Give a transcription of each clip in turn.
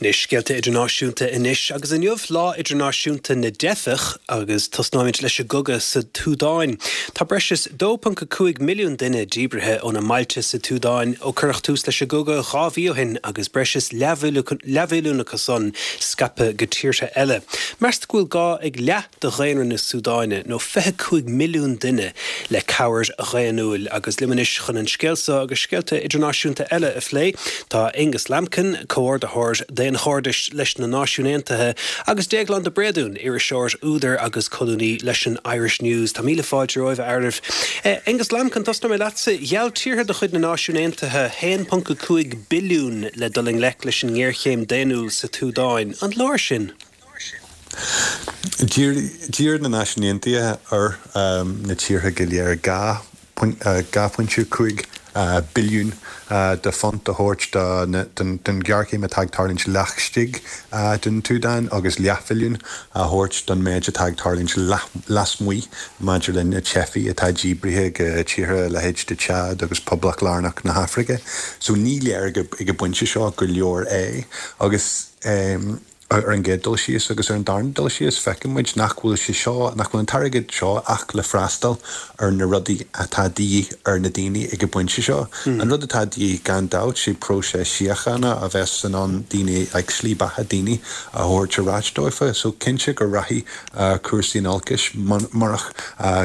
Na scéalta idirnáisiúnta anois, agus inniu Lá Idirnáisiúnta na dTeifeach, agus tosnóimid leis an gcogadh sa tSúdáin. Tá breis is 2.5 milliún duine díbrithe óna mbailte sa tSúdáin ó cuireadh tús leis an gcogadh 2 mhí ó shin agus breis is leathmhilliún acu san scaipthe go tíortha eile. Meastar go bhfuil gá ag leath de dhaonra na Súdáine, nó 25 milliún duine, le cabhair dhaonnúil. Agus liom anois chun an scéal seo agus scéalta idirnáisiúnta eile a phlé, tá Aonghus Lambkin, Comhordaitheoir Daonchairdis leis na Náisiúin Aontaithe, agus Déaglán de Bréadún, iriseoir, údar agus colúnaí leis an Irish News. Tá míle fáilte romhaibh, a fhearaibh. Aonghus Lambkin, tosnóidh mé leatsa. Gheall tíortha de chuid na Náisiún Aontaithe 1.5 billiún le dul i ngleic leis an ngéarchéim daonnúil sa tSúdáin. An leor sin? D'iarr na Náisiúin Aontaithe ar na tíortha go léir 2.5 billiún de phunt a thabhairt don ghéarchéim atá ag tarlúint laistigh den tSúdáin agus leathbhilliún a thabhairt don méid atá ag tarlúint lasmuigh maidir le na teifigh atá díbrithe go tíortha a leithéid de Chad agus Poblacht Lárnach na hAfraice. So ní léir ag an bpointe seo gur leor é agus. Ar an gcéad dul síos, agus ar an darna dul síos, feiceann muid nach bhfuil sé seo, nach bhfuil an t-airgead seo ach le freastal ar na rudaí atá de dhíth ar na daoine ag an bpointe seo. An rud atá de dhíth gan dabht, sé próiseas síochána a bheas in ann daoine, like slí beatha daoine a thabhairt ar ais dófa. So cinnte go rachaidh cúrsaí in olcais murach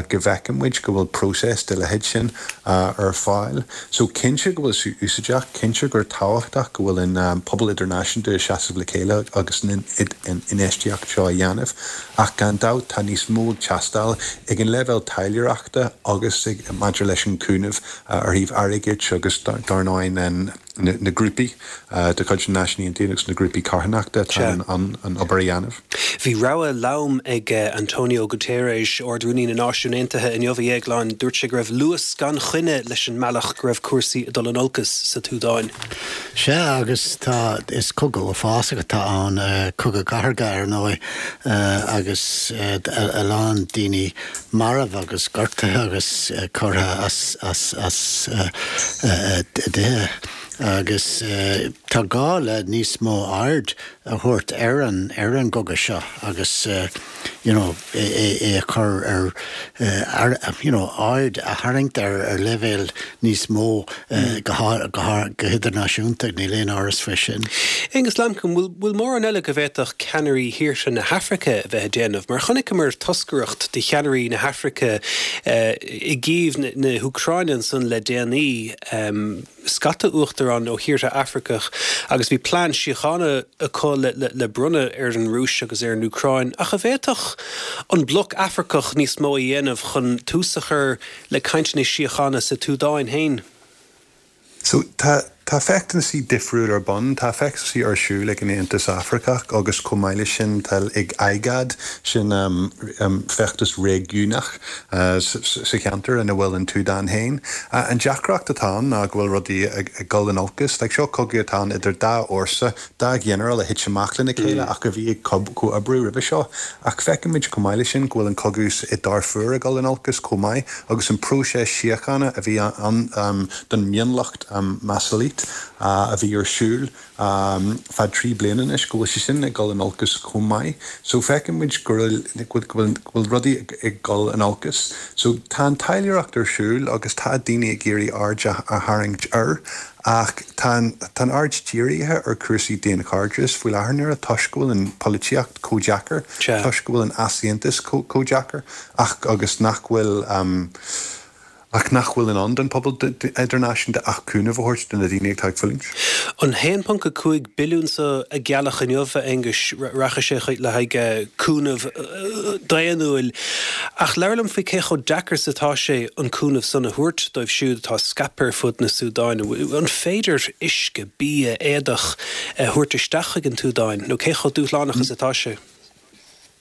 go bhfeiceann muid go bhfuil próiseas de leithéid sin ar fáil. So cinnte go bhfuil sé úsáideach, cinnte gur tábhachtach go bhfuil an pobal idirnáisiúnta ag seasamh le chéile agus an infheistíocht seo a dhéanamh ach gan dabht tá níos mó ag teastáil ag an leibhéal taidhleoireachta agus maidir leis an cúnamh ar thaobh airgid agus dar ndóigh an na grúpaí de chuid na Náisiún Aontaithe agus na grúpaí carthanachta atá in ann an obair a dhéanamh. Bhí rabhadh lom ag Antonio Guterres, Ard-Rúnaí na Náisiún Aontaithe, inniu, a Dhéagláin. Dúirt sé go raibh luas gan choinne leis an mbealach go raibh cúrsaí ag dul in olcas sa tSúdáin. Sea, agus tá, is cogadh uafásach atá ann, cogadh cathartha, ar ndóigh, agus a lán daoine marbh agus gortaithe agus curtha as a dtithe agus tá gá le níos mó aird a thabhairt ar an ar an gcogadh seo agus you know é a chur ar you know aird a tharraingt air ar leibhéal níos mó go hidirnáisiúnta, níl aon amhras faoi sin. Aonghus Lambkin, bhfuil mórán eile go bhféadfadh ceannairí thíortha na hAfraice a bheith ag déanamh? Mar chonaiceamar toscaireacht de cheannairí na hAfraice i gCív na hÚcráine ansan le déanaí, scata uachtarán ó thíortha Afraiceach agus bhí plean síochána acu le bronnadh ar an Rúis agus ar an Úcráin. Ach an bhféadfadh an bloc Afracach níos mó a dhéanamh chun tús a chur le cainteanna síochána sa tSúdáin féin. So, tá, tá feachtasaí difriúil ar bun. Tá feachtasaí ar siúl ag an Aontas Afracach agus chomh maith leis sin tá ag IGAD, sin feachtas réigiúnach sa cheantar ina bhfuil an tSúdáin féin. An deacracht atá ann ná go bhfuil rudaí ag dul in olcas. Like, seo cogadh atá ann idir dá fhórsa Dá ghinearál a thit amach lena chéile ach a bhí ag comhoibriú roimhe seo. Ach feicimid chomh maith leis sin go bhfuil an cogadh i Darfur ag dul in olcas chomh maith agus an próiseas síochána a bhí ann don mhionlacht Masalit a bhí ar siúl feadh 3 bliana anois, go bhfuil sé sin ag dul in olcas chomh maith. So feicimid go bhfuil rudaí ag dul in olcas. So tá an taidhleoireacht ar siúl agus tá daoine ag iarraidh aird a tharraingt air Ach tá an aird dírithe ar chúrsaí daonchairdis faoi láthair na huaire toisc go bhfuil an pholaitíocht chomh deacair, toisc go bhfuil an easaontas chomh deacair ach agus nach bhfuil ach nach bhfuil in ann don phobal idirnáisiúnta ach cúnamh a thabhairt do na daoine atá ag fulaingt. An 1.5 billiún so a gealladh inniu, a Aonghuis, rachaidh sé le haghaidh cúnamh daonnúil. Ach labhair liom faoi cé chomh deacair is atá sé an cúnamh san a thabhairt dóibh siúd atá scaipthe ar fud na Súdáine. An féidir uisce, bia, éadach a thabhairt isteach chuig an tSúdáin nó cé chomh dúshlánach is atá sé?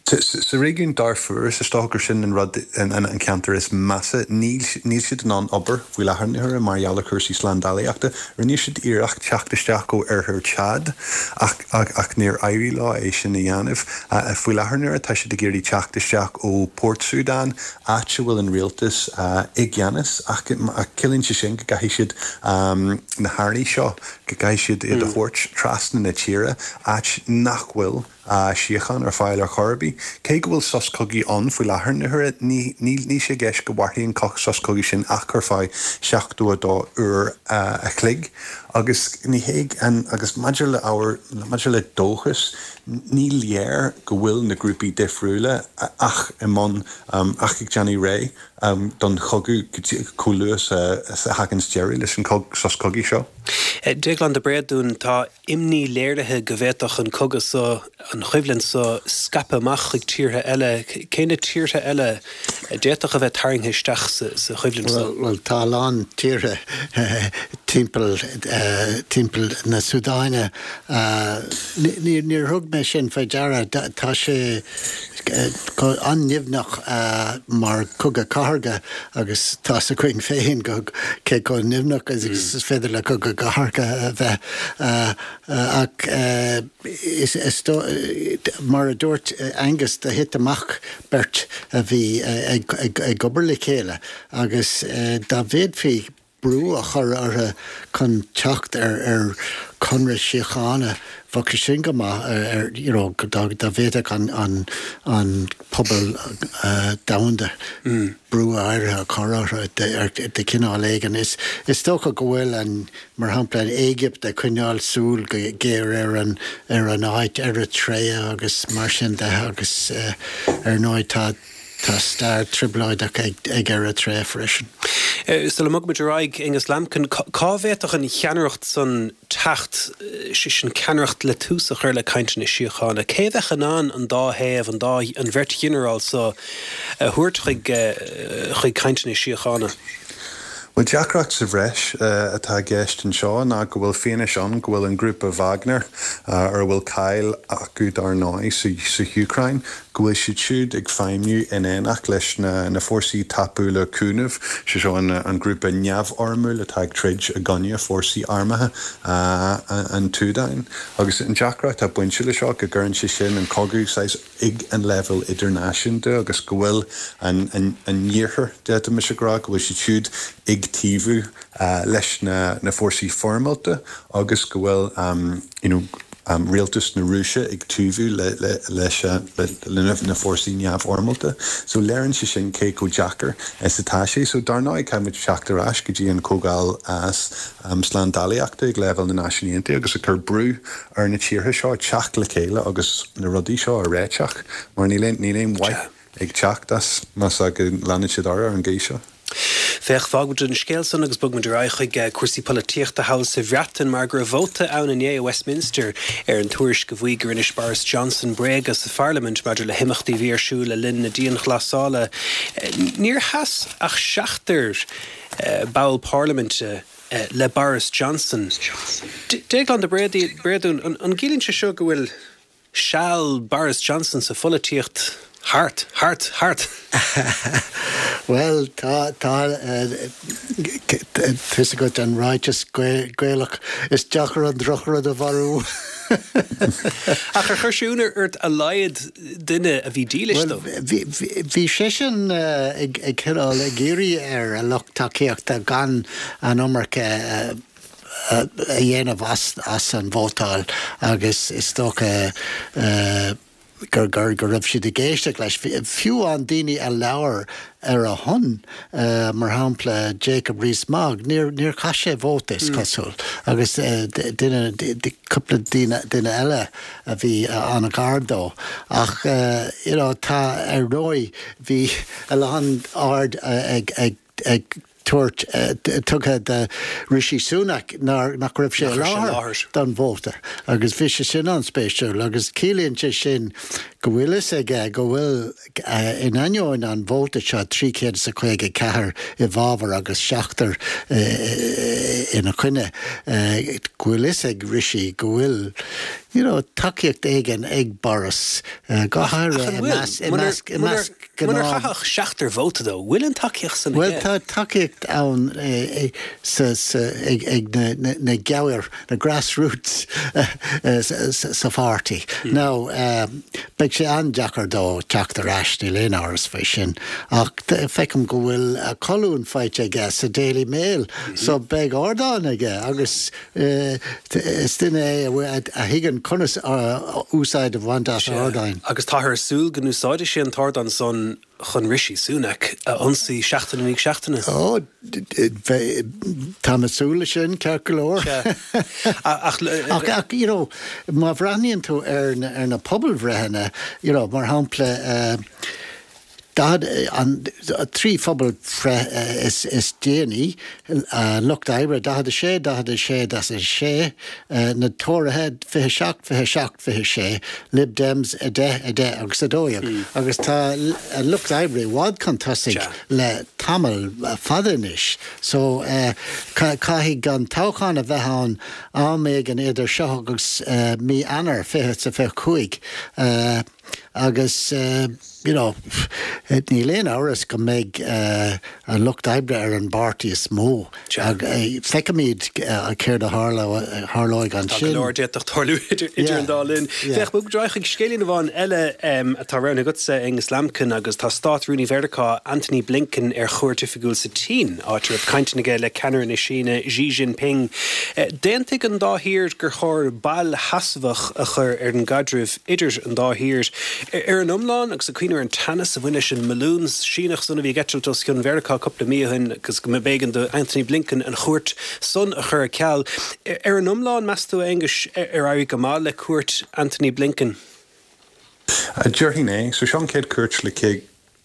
Sa réigiún Darfur, is dócha gur sin an rud, an ceantar is measa. Níl siad in ann obair faoi láthair na huaire mar gheall ar chúrsaí slándálaíochta. Rinne siad iarracht teacht isteach ó oirthear Chad ach ach níor éirigh leo é sin a dhéanamh. Faoi láthair na huaire tá siad ag iarraidh teacht isteach ó Port Sudan, áit a bhfuil an rialtas i gceannas, ach ciallaíonn sé sin go gcaithfidh siad na hearraí seo, go gcaithfidh siad iad a thabhairt trasna na tíre, áit nach bhfuil síocháin ar fáil ar chor ar bith. Cé go bhfuil sos cogaidh ann faoi láthair na huaire, ní ní sé i gceist go mhairfidh an sos cogaidh sin ach ar feadh 72 uair a chloig. Agus ní hé an agus maidir le ábhar maidir le dóchas, ní léir go bhfuil na grúpaí difriúla ach i mbun ach ag déanamh réidh don chogadh chomh luath is a thaganns deireadh leis an sos cogaidh seo. Déaglán de Bréadún, tá imní léirithe go bhféadfadh an cogadh so, an choimhlint so, scaipeadh amach chuig tíortha eile. Cé na tíortha eile a d'fhéadfadh a bheith tarraingthe isteach sa choimhlint so? Bhuel, tá a lán tíortha timpeall, timpeall na Súdáine. Níor thug mé sin faoi deara. Tá sé an-nimhneach mar chogadh cathartha agus tá's againn féin cé chomh nimhneach is féidir le cogadh cathartha a bheith. Ach is mar a dúirt Angus, do thit amach beirt a bhí ag obair le chéile agus dá bhféadfaí brú a chur orthu chun teacht ar chonradh síochána, bheadh sé sin go maith ar you know dá bhféadfadh an an pobal domhanda brú áirithe a chur orthu de chineál éigin. Is is dócha go bhfuil an mar shampla an Éigipt ag coinneáil súil go géar ar an ar an áit, Eritrea agus mar sin de agus ar ndóigh tá Tá stair trioblóideach ag Eritrea freisin. Sula mbogaimid ar aghaidh, Aonghus Lambkin, cá bhféadfadh an cheannaireacht san teacht, sé sin ceannaireacht le tús a chur le cainteanna síochána? Cé a bheadh in ann an dá thaobh, an dá, an bheirt ghinearál so a thabhairt chuig, chuig cainteanna síochána? Bhuel, deacracht sa bhreis atá i gceist anseo ná go bhfuil fianaise ann go bhfuil an grúpa Wagner, ar a bhfuil cáil acu dar ndóigh sa hÚcráin, go bhfuil siad siúd ag feidhmiú in éineacht leis na Fórsaí Tapúla Cúnaimh, sé seo an grúpa neamhfhoirmiúil atá ag troid i gcoinne fórsaí armtha an tSúdáin. Agus an deacracht atá bainte le seo go gcuireann sé sin an cogadh saghas ag an leibhéal idirnáisiúnta agus go bhfuil an an iarthar, d'fhéadfaimis a rá, go bhfuil siad siúd ag taobhú leis na fórsaí foirmeálta agus go bhfuil you know rialtas na Rúise ag taobhú leis na fórsaí neamhfhoirmeálta. So léiríonn sé sin cé chomh deacair is atá sé. So dar ndóigh caithfidh muid teacht ar ais go dtí an Chomhdháil Slándálaíochta ag leibhéal na Náisiún Aontaithe agus ag cur brú ar na tíortha seo teacht le chéile agus na rudaí seo a réiteach mar níl aon níl aon mhaith ag teacht as más ea go leanann siad orthu ar an gcaoi seo. Féach, fágfaimid an scéal san agus bogfaimid ar aghaidh chuig cúrsaí polaitíochta thall sa Bhreatain mar go raibh vóta ann inné i Westminster ar an tuairisc a mhaígh gur inis Boris Johnson bréaga sa pharlaimint maidir le himeachtaí a bhí ar siúl le linn na dianghlasála. Níor sheas ach seachtar ball parlaiminte le Boris Johnson. Déaglán de Bréadún, an gciallaíonn sé seo go bhfuil seal Boris Johnson sa pholaitíocht thart, thart, thart? Bhuel, tá, tá, tá's agat an ráiteas Gaelach, is deacair an drochrud a mharú. Ach ar chuir sé ionadh ort a laghad duine a bhí dílis dó? Bhuel, bhí seisean ag cineál ag iarraidh ar a lucht tacaíochta gan an iomarca a dhéanamh as an vótáil agus is dócha go raibh siad ag éisteacht leis. Fiú an daoine a labhair ar a shon, mar shampla Jacob Rees-Mogg, níor chaith sé vóta is cosúil agus duine, cúpla duine eile a bhí an-ghar dó. Ach you know tá, ar ndóigh, bhí a lán aird ag ag tabhairt, tugtha do Rishi Sunak nach raibh sé i láthair don vóta agus bhí sé sin an-spéisiúil agus ciallaíonn sé sin go bhfuil fhios aige go bhfuil, in ainneoin an vóta seo, 354 i bhfabhar agus seachtar ina choinne, go bhfuil fhios ag Rishi go bhfuil you know tacaíocht éigin ag Boris, go háirithe i measc, i measc, i measc gnáth. Munar chaith ach seachtar vóta dó, bhfuil an tacaíocht san aige? Bhuel, tá tacaíocht ann sa, sa, ag, ag na, na, na gabhair, na grassroots sa pháirtí. Now, beidh. Beidh sé an-deacair dó teacht ar ais, níl aon amhras faoi sin. Ach feicim go bhfuil colún faighte aige sa Daily Mail so beidh ardán aige agus is duine é a thuigeann conas úsáid a bhaint as ardáin. Agus táthar ag súil go n-úsáidfidh sé an t-ardán san chun Rishi Sunak a ionsaí seachtain i ndiaidh seachtaine. Ó, táim ag súil leis sin, ceart go leor. Ach, ach, you know, má bhreathnaíonn tú ar na pobalbhreitheanna, you know, mar shampla, 40, an 3 phobalbhreith is déanaí, Lucht Oibre 46, 46, 46, na Tóraithe 27, 27, 26, Lib Dems 10, 10 agus 12. Agus tá an Lucht Oibre i bhfad chun tosaigh le tamall fada anois. So caithfidh an toghchán a bheith ann am éigin idir seo agus mí Eanáir 2025. Agus, you know, níl aon amhras go mbeidh an Lucht Oibre ar an bpáirtí is mó. Feicfimid céard a tharlóidh ansin. Tá go leor a d'fhéadfadh tarlú idir an dá linn. Féach, bogfaimid ar aghaidh chuig scéilín amháin eile atá roghnaithe agatsa, Aonghus Lambkin, agus tá Stát-Rúnaí Mheiriceá, Antony Blinken ar chuairt oifigiúil sa tSín, áit a raibh cainteanna aige le ceannaire na Síne, Xi Jinping. D'aontaigh an dá thír gur chóir bail sheasmhach a chur ar an gcaidreamh idir an dá thír. Ar an iomlán, agus ag cuimhneamh ar an teannas a bhain leis an mbalún Síneach san a bhí ag eitilt os cionn Mheiriceá cúpla mí ó shin agus go mb'éigean do Antony Blinken an chuairt san a chur ar ceal. Ar an iomlán, meas tú, a Aonghuis, ar éirigh go maith le cuairt Antony Blinken? Déarfainn é. So seo an chéad chuairt le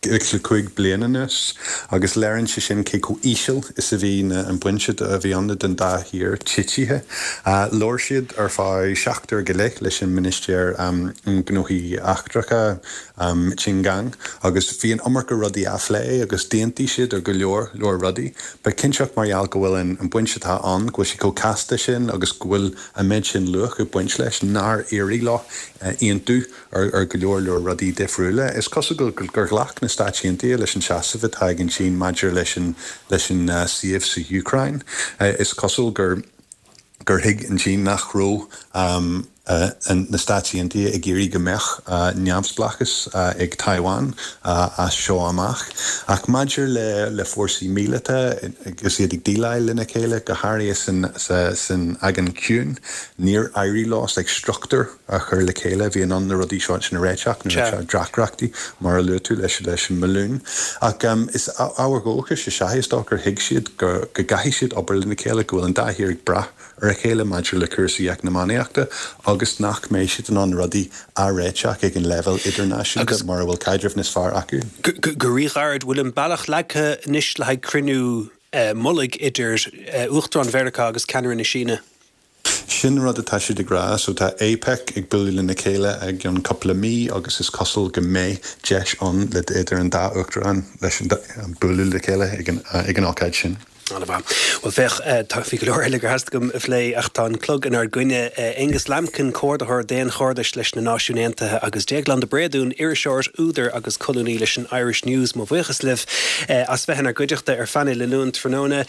5 bliana anuas agus léiríonn sé sin cé chomh íseal is a bhí an baint a bhí ann den dá thír titithe. Labhair siad ar feadh 7 uair go leith leis an Ministéir um Gnóthaí Eachtracha, Qin Gang, agus bhí an iomarca rudaí á phlé agus d'aontaigh siad ar go leor leor rudaí. But cinnteacht mar gheall go bhfuil an baint atá ann, go bhfuil sé chomh casta sin agus go bhfuil an méid sin luach ag baint leis nár éirigh leo aontú ar go leor leor rudaí difriúla. Is cosúil gur ghlac na Stáit Aontaithe leis an seasamh atá ag an tSín maidir leis an leis an suíomh sa Úcráin. Is cosúil gur gur thuig an tSín nach raibh na Stáit Aontaithe ag iarraidh go mbeadh neamhspleáchas ag Taiwan as seo amach. Ach maidir le le fórsaí míleata agus iad ag déileáil lena chéile, go háirithe san san Aigéan Ciúin, níor éirigh leo like struchtúr a chur le chéile a bhí in ann na rudaí seo sin a réiteach, na deacrachtaí, mar a luaigh tú, leis leis an mbalún. Ach is ábhar dóchais is ea é, is dócha gur thuig siad go go gcaithfidh siad obair lena chéile, go bhfuil an dá thír ag brath ar a chéile maidir le cúrsaí eacnamaíochta agus nach mbeidh siad in ann rudaí a réiteach ag an leibhéal idirnáisiúnta mura bhfuil caidreamh níos fearr acu. Go ríghairid, bhfuil an bealach leagtha anois le haghaidh cruinniú mullaigh idir Uachtarán Mheiriceá agus ceannaire na Síne? Sin rud atá siad ag rá. So tá APEC ag bualadh lena chéile i gceann cúpla mí agus is cosúil go mbeidh deis ann le idir an dá uachtarán leis an bualadh le chéile ag an ag an ócáid sin. An-mhaith. Bhuel féach, tá, bhí go leor eile gur theastaigh uaim a phlé ach tá an clog inár gcoinne. Aonghus Lambkin, Comhordaitheoir Daonchairdis leis na Náisiúin Aontaithe agus Déaglán de Bréadún, iriseoir, údar agus colúnaí leis an Irish News, mo bhuíochas libh as bheith inár gcuideachta ar Phainéal an Luain tráthnóna.